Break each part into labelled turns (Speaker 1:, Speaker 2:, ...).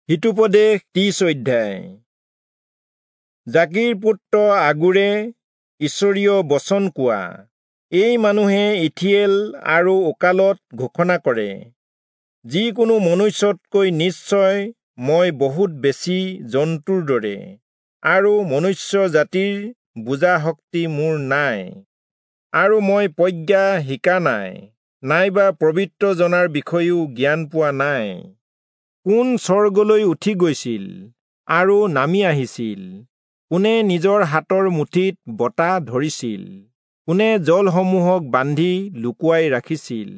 Speaker 1: হিতোপদেশ 30 অধ্যায়। জাকিৰ পুত্ৰ আগূৰে ঈশ্বৰীয় বচন কোৱা, এই মানুহে ইথিয়েল আৰু ওকালত ঘোষণা কৰে, যিকোনো মনুষ্যতকৈ নিশ্চয় মই বহুত বেছি জন্তুৰ দৰে, আৰু মনুষ্য জাতিৰ বুজা শক্তি মোৰ নাই, আৰু মই প্ৰজ্ঞা শিকা নাই, নাইবা পবিত্ৰ জনাৰ বিষয়েও জ্ঞান পোৱা নাই। কোন স্বৰ্গলৈ উঠি গৈছিল আৰু নামি আহিছিল? কোনে নিজৰ হাতৰ মুঠিত বতাহ ধৰিছিল? কোনে জলসমূহক বান্ধি লুকুৱাই ৰাখিছিল?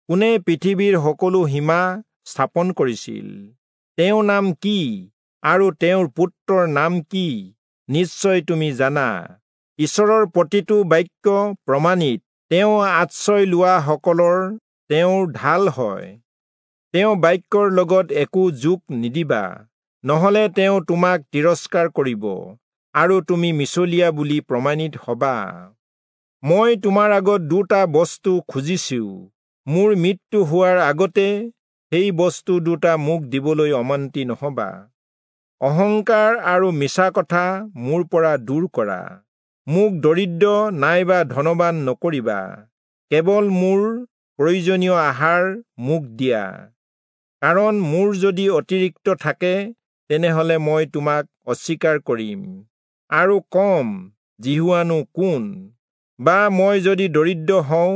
Speaker 1: কোনে পৃথিৱীৰ সকলো সীমা স্থাপন কৰিছিল? তেওঁৰ নাম কি আৰু তেওঁৰ পুত্ৰৰ নাম কি নিশ্চয় তুমি জানা। ঈশ্বৰৰ প্ৰতিটো বাক্য প্ৰমাণিত, তেওঁ আশ্ৰয় লোৱা সকলৰ তেওঁৰ ঢাল হয়। তেওঁ বাক্যৰ লগত একো যোগ নিদিবা, নহলে তেওঁ তোমাক তিৰস্কাৰ কৰিব আৰু তুমি মিছলীয়া বুলি প্ৰমাণিত হবা। মই তোমাৰ আগত দুটা বস্তু খুজিছো, মোৰ মৃত্যু হোৱাৰ আগতে সেই বস্তু দুটা মোক দিবলৈ অমান্তি নহবা। অহংকাৰ আৰু মিছা কথা মোৰ পৰা দূৰ কৰা, মোক দৰিদ্ৰ নাইবা ধনবান নকৰিবা, কেৱল মোৰ প্ৰয়োজনীয় আহাৰ মোক দিয়া। কাৰণ মোৰ যদি অতিৰিক্ত থাকে, তেনেহলে মই তোমাক অস্বীকাৰ কৰিম আৰু কম, যিহোৱানো কোন? বা মই যদি দৰিদ্ৰ হওঁ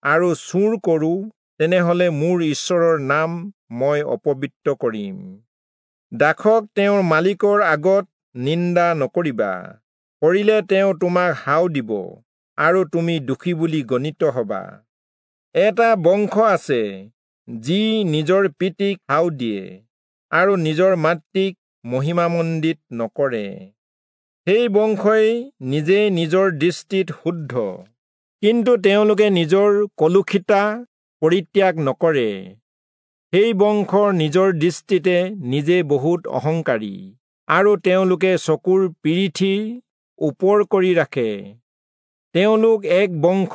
Speaker 1: আৰু চুৰ কৰোঁ, তেনেহলে মোৰ ঈশ্বৰৰ নাম মই অপবিত্ৰ কৰিম। দাসক তেওঁৰ মালিকৰ আগত নিন্দা নকৰিবা, কৰিলে তেওঁ তোমাক হাও দিব আৰু তুমি দোষী বুলি গণিত হবা। এটা বংশ আছে যি নিজৰ পিতৃক হাও দিয়ে আৰু নিজৰ মাতৃক মহিমামণ্ডিত নকৰে। সেই বংশই নিজে নিজৰ দৃষ্টিত শুদ্ধ, কিন্তু তেওঁলোকে নিজৰ কলুষিতা পৰিত্যাগ নকৰে। সেই বংশৰ নিজৰ দৃষ্টিতে নিজে বহুত অহংকাৰী আৰু তেওঁলোকে চকুৰ পিৰিঠি ওপৰ কৰি ৰাখে। তেওঁলোক এক বংশ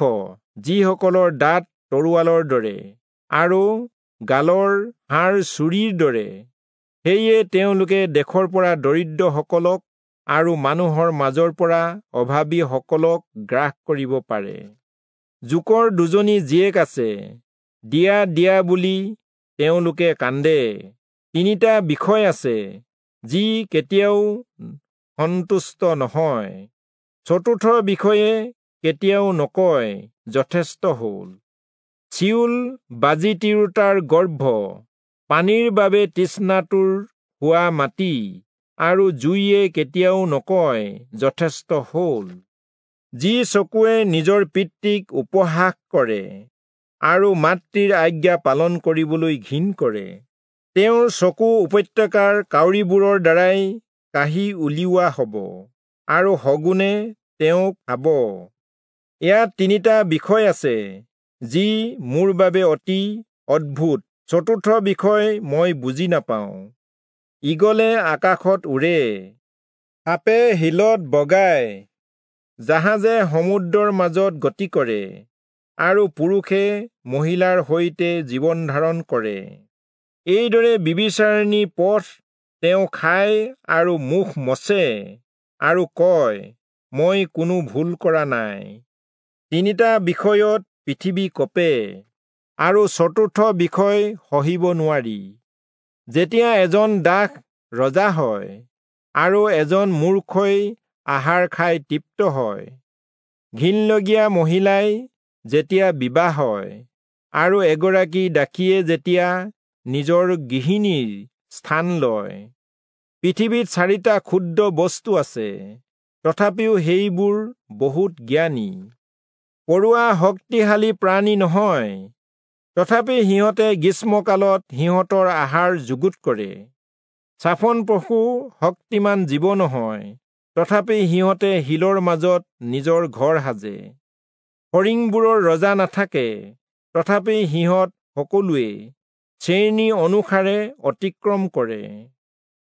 Speaker 1: যিসকলৰ দাঁত তৰোৱালৰ দৰে আৰু গালৰ হাড় চুৰিৰ দৰে। সেয়ে তেওঁলোকে দেশৰ পৰা দৰিদ্ৰসকলক আৰু মানুহৰ মাজৰ পৰা অভাৱীসকলক গ্ৰাস কৰিব পাৰে। জোকৰ দুজনী জীয়েক আছে, দিয়া দিয়া বুলি তেওঁলোকে কান্দে। তিনিটা বিষয় আছে যি কেতিয়াও সন্তুষ্ট নহয়, চতুৰ্থ বিষয়ে কেতিয়াও নকয় যথেষ্ট হ'ল। চিউল বাজি তিৰোতাৰ গৰ্ভ, পানীৰ বাবে তৃষ্ণাতুৰ হোৱা মাটি, আৰু জুইয়ে কেতিয়াও নকয় যথেষ্ট হ'ল। যি চকুৱে নিজৰ পিতৃক উপহাস কৰে আৰু মাতৃৰ আজ্ঞা পালন কৰিবলৈ ঘিণ কৰে, তেওঁৰ চকু উপত্যকাৰ কাউৰীবোৰৰ দ্বাৰাই কাঢ়ি উলিওৱা হ'ব আৰু শগুনে তেওঁক খাব। ইয়াত তিনিটা বিষয় আছে যি মোৰ বাবে অতি অদ্ভুত, চতুৰ্থ বিষয় মই বুজি নাপাওঁ। ঈগলে আকাশত উৰে, সাপে শিলত বগায়, জাহাজে সমুদ্ৰৰ মাজত গতি কৰে, আৰু পুৰুষে মহিলাৰ সৈতে জীৱন ধাৰণ কৰে। এইদৰে বিবিচাৰিণী পথ তেওঁ খায় আৰু মুখ মচে আৰু কয়, মই কোনো ভুল কৰা নাই। তিনিটা বিষয়ত পৃথিৱী কঁপে আৰু চতুৰ্থ বিষয় সহিব নোৱাৰি। যেতিয়া এজন দাস ৰজা হয় আৰু এজন মূৰ্খই আহাৰ খাই তৃপ্ত হয়, ঘিণলগীয়া মহিলাই যেতিয়া বিবাহ হয় আৰু এগৰাকী দাসীয়ে যেতিয়া নিজৰ গৃহিণীৰ স্থান লয়। পৃথিৱীত চাৰিটা ক্ষুদ্ৰ বস্তু আছে, তথাপিও সেইবোৰ বহুত জ্ঞানী। পৰুৱা শক্তিশালী প্ৰাণী নহয়, তথাপি সিহঁতে গ্ৰীষ্মকালত সিহঁতৰ আহাৰ যুগুত কৰে। চাফন পশু শক্তিমান জীৱ নহয়, তথাপি সিহঁতে শিলৰ মাজত নিজৰ ঘৰ সাজে। ফৰিংবোৰৰ ৰজা নাথাকে, তথাপি সিহঁত সকলোৱে শ্ৰেণী অনুসাৰে অতিক্ৰম কৰে।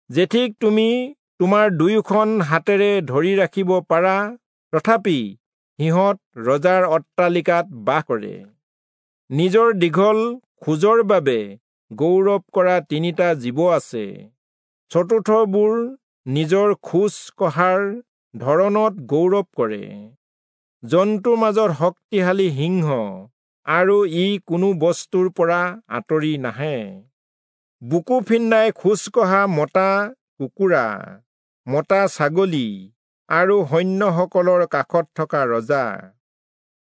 Speaker 1: জেঠীক তুমি তোমাৰ দুয়োখন হাতেৰে ধৰি ৰাখিব পাৰা, তথাপি সিহঁত ৰজাৰ অট্টালিকাত বাস কৰে। নিজৰ দীঘল খোজৰ বাবে গৌৰৱ কৰা 3টা জীৱ আছে। চতুৰ্থবোৰ নিজৰ খোজ কঢ়াৰ ধৰণত গৌৰৱ কৰে। জন্তুৰ মাজত শক্তিশালী সিংহ, আৰু ই কোনো বস্তুৰ পৰা আঁতৰি নাহে। বুকু ফিন্দাই খোজ কঢ়া মতা কুকুৰা, মতা ছাগলী আৰু সৈন্যসকলৰ কাষত থকা ৰজা।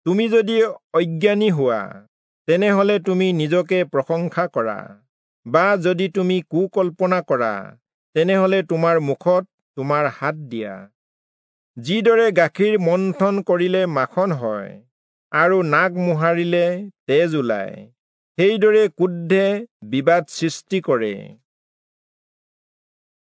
Speaker 1: তুমি যদি অজ্ঞানী হোৱা, তেনেহলে তুমি নিজকে প্ৰশংসা কৰা, বা যদি তুমি কুকল্পনা কৰা, তেনেহলে তোমাৰ মুখত তোমাৰ হাত দিয়া। যিদৰে গাখীৰ মন্থন কৰিলে মাখন হয় আৰু নাক মোহাৰিলে তেজ ওলায়, সেইদৰে ক্ৰোধে বিবাদ সৃষ্টি কৰে।